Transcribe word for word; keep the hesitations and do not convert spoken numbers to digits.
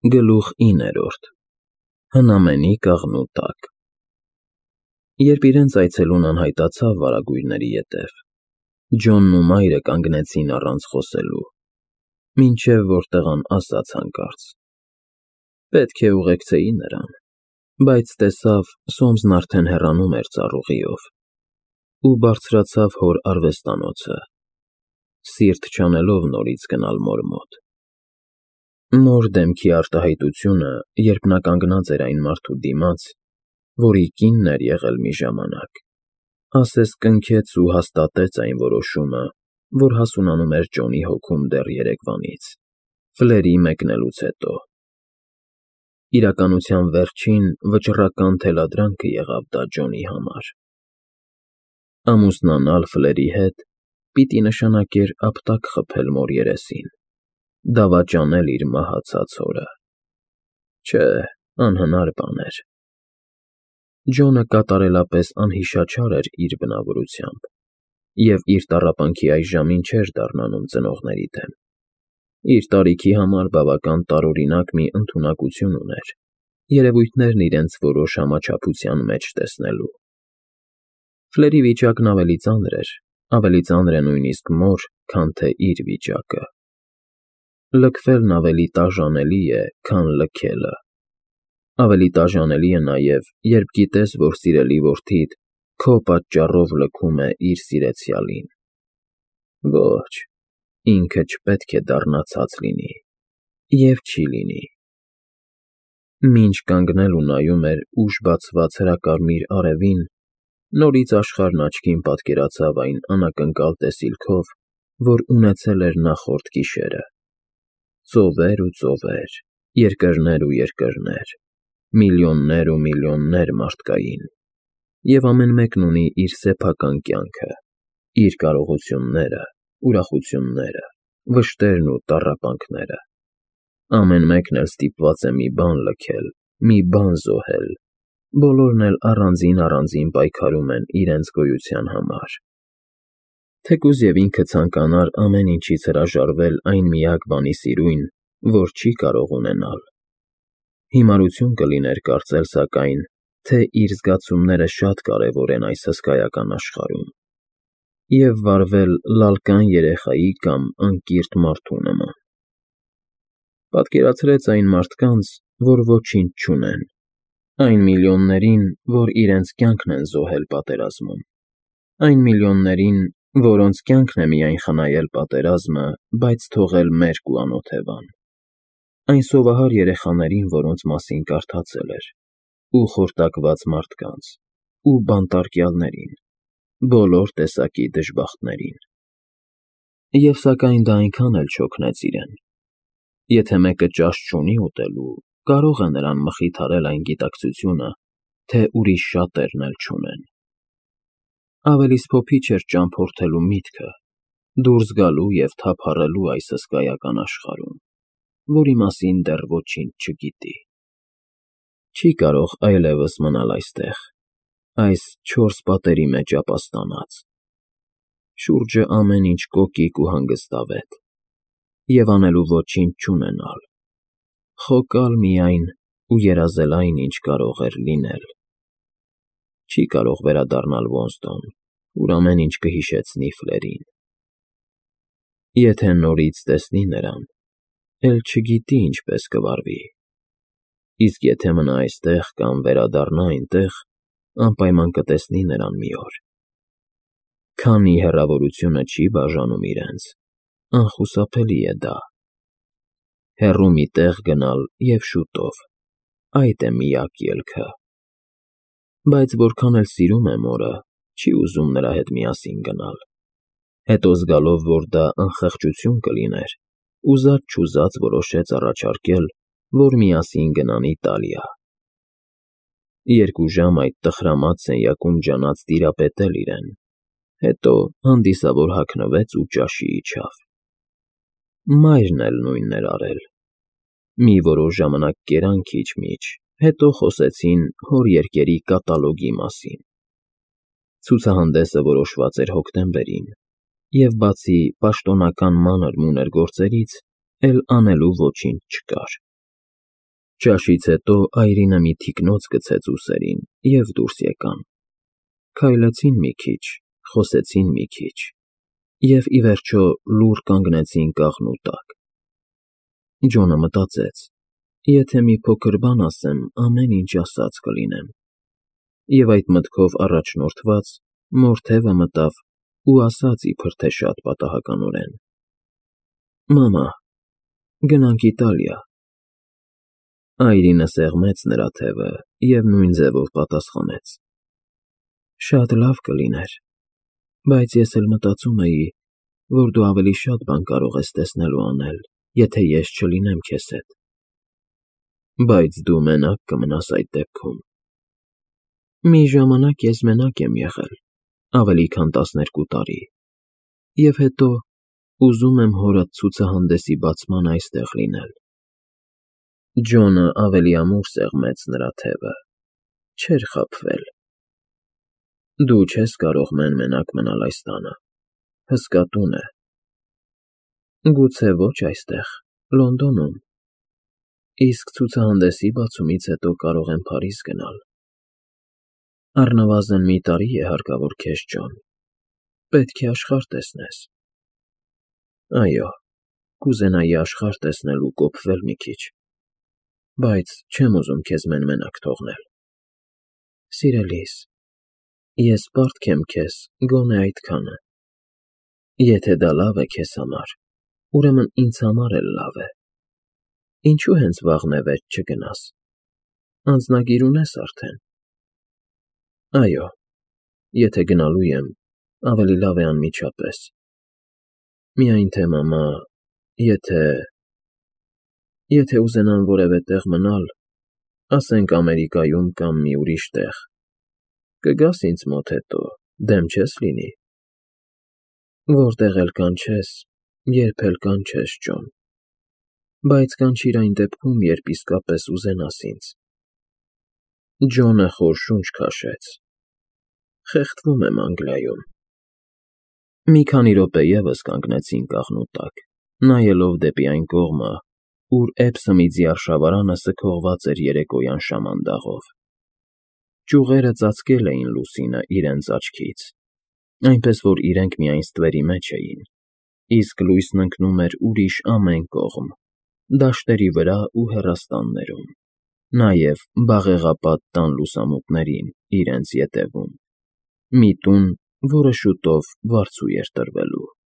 Գլուխ իններորդ Հնամենի կաղնու տակ Երբ իրենց այցելուն անհայտացավ վարագույրների ետև, Ջոնն ու մայրը կանգնեցին առանց խոսելու, մինչև որ տղան ասաց հանկարծ. Պետք է ուղեկցեի նրան, բայց տեսավ Սոմսն արդեն հեռանում էր ծառուղիով ու բարձրացավ հոր արվեստանոցը, սիրտ չանելով նորից գնալ մոր մոտ։ Մոր դեմքի արտահայտությունը, երբ նա կանգնած էր այն մարդու դիմաց, որի կինն էր եղել մի ժամանակ, ասես կնքեց ու հաստատեց այն որոշումը, որ հասունանում էր Ջոնի հոգում դեռ երեկվանից, Ֆլերի մեկնելուց հետո։ Իրականության վերջին վճռական թելադրանքը եղավ դա Ջոնի համար։ Ամուսնանալ Ֆլերի հետ պիտի նշանակեր ապտակ խփել մոր երեսին, դավաճանել իր մահացած հորը։ Չէ, անհնար բան էր։ Ջոնը կատարելապես անհիշաչար էր իր բնավորությամբ և իր տառապանքի այս ժամին չէր դառնանում ծնողների դեմ, իր տարիքի համար բավական տարօրինակ մի ընդունակություն ուներ, երևույթներն իրենց որոշ համաչափության մեջ տեսնելու։ Ֆլերի վիճակն ավելի ծանր էր, ավելի ծանր է նույնիսկ մոր, քան թե իր վիճակը։ Լքվելն ավելի տաժանելի է, քան լքելը։ Ավելի տաժանելի է նաև, երբ գիտես, որ սիրելի որդիդ քո պատճառով լքում է իր սիրեցյալին։ Ոչ, ինքը չպետք է դառնա ցած լինի, և չի լինի։ Մինչ կանգնել ու նայում էր ուշ բացված հրակարմիր արևին, նորից աշխարհն աչքին պատկերացավ այն անակնկալ տեսիլքով, որ ունեցել էր նախորդ գիշերը. ծովեր ու ծովեր, երկրներ ու երկրներ, միլիոններ ու միլիոններ մարդկային, և ամեն մեկն ունի իր սեփական կյանքը, իր կարողությունները, ուրախությունները, վշտերն ու տառապանքները։ Ամեն մեկն էլ ստիպված է մի բան լքել, մի բան զոհել, բոլորն էլ առանձին֊առանձին պայքարում են իրենց գոյության համար։ Թեկուզ և ինքը ցանկանար ամեն ինչից հրաժարվել այն միակ բանի սիրույն, որ չի կարող ունենալ։ Հիմարություն կլիներ կարծել, սակայն, թե իր զգացումները շատ կարևոր են այս հսկայական աշխարհում, և վարվել լալկան երեխայի կամ անկիրթ մարդու նման։ Պատկերացրեց այն մարդկանց, որ ոչինչ չունեն, այն միլիոններին, որ իրենց կյանքն են զոհել պատերազմում, այն միլիոններին, որոնց կյանքն է միայն խնայել պատերազմը, բայց թողել մերկ ու անօթևան, այն սովահար երեխաներին, որոնց մասին կարդացել էր, ու խորտակված մարդկանց, ու բանտարկյալներին, բոլոր տեսակի դժբախտներին։ Եվ սակայն դա այնքան էլ չօգնեց իրեն։ Եթե մեկը ճաշ չունի ուտելու, կարող է նրան մխիթարել այն գիտակցությունը, թե ուրիշ շատերն էլ չունեն։ Ավելի սփոփիչ էր ճամփորդելու միտքը, դուրս գալու և թափառելու այս հսկայական աշխարհում, որի մասին դեռ ոչինչ չգիտի։ Չի կարող այլևս մնալ այստեղ, այս չորս պատերի մեջ ապաստանած։ Շուրջը ամեն ինչ կոկիկ ու հանգստավետ, և անելու ոչինչ չունենալ, խոկալ միայն ու երազել այն, ինչ կարող էր լինել։ Չի կարող վերադառնալ Ոնսդոն, ուր ամեն ինչ կհիշեցնի Ֆլերին։ Եթե նորից տեսնի նրան, էլ չգիտի ինչպես կվարվի, իսկ եթե մնա այստեղ կամ վերադառնա այնտեղ, անպայման կտեսնի նրան մի օր։ Քանի հեռավորությունը չի բաժանում իրենց, անխուսափելի է դա։ Հեռու մի տեղ գնալ և շուտով, այդ է միակ ելքը։ Բայց որքան էլ սիրում է մորը, չի ուզում նրա հետ միասին գնալ։ Հետո զգալով, որ դա անխղճություն կլիներ, ուզած֊չուզած որոշեց առաջարկել, որ միասին գնան Իտալիա։ Երկու ժամ այդ տխրամած սենյակում ջանաց տիրապետել իրեն, հետո հանդիսավոր հագնվեց ու ճաշի իջավ։ Մայրն էլ նույնն էր արել։ Մի որոշ ժամանակ կերան քիչ֊միչ, հետո խոսեցին հոր երգերի կատալոգի մասին։ Ցուցահանդեսը որոշված էր հոկտեմբերին, և բացի պաշտոնական մանր֊մունր գործերից, էլ անելու ոչինչ չկար։ Ճաշից հետո այրինը մի թիկնոց գցեց ուսերին և դուրս եկան, քայլեցին մի քիչ, խոսեցին մի քիչ և, ի վերջո, լուռ կանգնեցին կաղնու տակ։ Ջոնը մտածեց. եթե մի փոքր բան ասեմ, ամեն ինչ ասած կլինեմ, և այդ մտքով առաջնորդված մոր թևը մտավ ու ասաց իբր թե շատ պատահականորեն. «Մամա, գնանք Իտալիա»։ Այրինը սեղմեց նրա թևը և նույն ձևով պատասխանեց. «Շատ լավ կլիներ, բայց ես էլ մտածում էի, որ դու ավելի շատ բան կարող ես տեսնել ու անել, եթե ես չլինեմ քեզ հետ»։ «Բայց դու մենակ կմնաս այդ դեպքում»։ «Մի ժամանակ ես մենակ եմ եղել, ավելի քան տասներկու տարի, և հետո ուզում եմ հորդ ցուցահանդեսի բացման այստեղ լինել»։ Ջոնը ավելի ամուր սեղմեց նրա թևը, չէր խաբվել։ «Դու չես կարող մեն֊մենակ մնալ այս տանը, հսկա տուն է»։ «Գուցե ոչ այստեղ, Լոնդոնում, իսկ ցուցահանդեսի բացումից հետո կարող եմ Փարիզ գնալ»։ «Առնվազն մի տարի է հարկավոր քեզ, Ջոն, պետք է աշխարհ տեսնես»։ «Այո, կուզենայի աշխարհ տեսնել ու կոփվել մի քիչ, բայց չեմ ուզում քեզ մեն֊մենակ թողնել»։ «Սիրելիս, ես պարտք եմ քեզ գոնե այդքանը։ Եթե դա լավ է քեզ համար, ուրեմն ինձ համար էլ լավ է։ Ինչո՞ւ հենց վաղն է վեճ չգնաս, անձնագիր ունե՞ս արդեն»։ «Այո, եթե գնալու եմ, ավելի լավ է անմիջապես։ Միայն թե, մամա, եթե… եթե ուզենամ որևէ տեղ մնալ, ասենք Ամերիկայում կամ մի ուրիշ տեղ, կգաս ինձ մոտ հետո, դեմ չես լինի»։ «Որտեղ էլ կանչես, երբ էլ կանչես, Ջոն, բայց կանչիր այն դեպքում, երբ իսկապես ուզենաս ինձ»։ Ջոնը խոր շունչ քաշեց. «Խեղդվում եմ Անգլիայում»։ Մի քանի րոպե ևս կանգնեցին կաղնու տակ, նայելով դեպի այն կողմը, ուր Էբսըմիձի արշավարանը սգողված էր երեկոյան շամանդաղով։ Ճյուղերը ծածկել էին լուսինը իրենց աչքից, այնպես որ իրենք միայն ստվերի մեջ էին, իսկ լույսն ընկնում էր ուրիշ ամեն կողմ, դաշտերի վրա ու հեռաստաններում, նաև բաղեղապատ տան լուսամուտներին իրենց ետևում, մի տուն, որը շուտով վարձու էր տրվելու։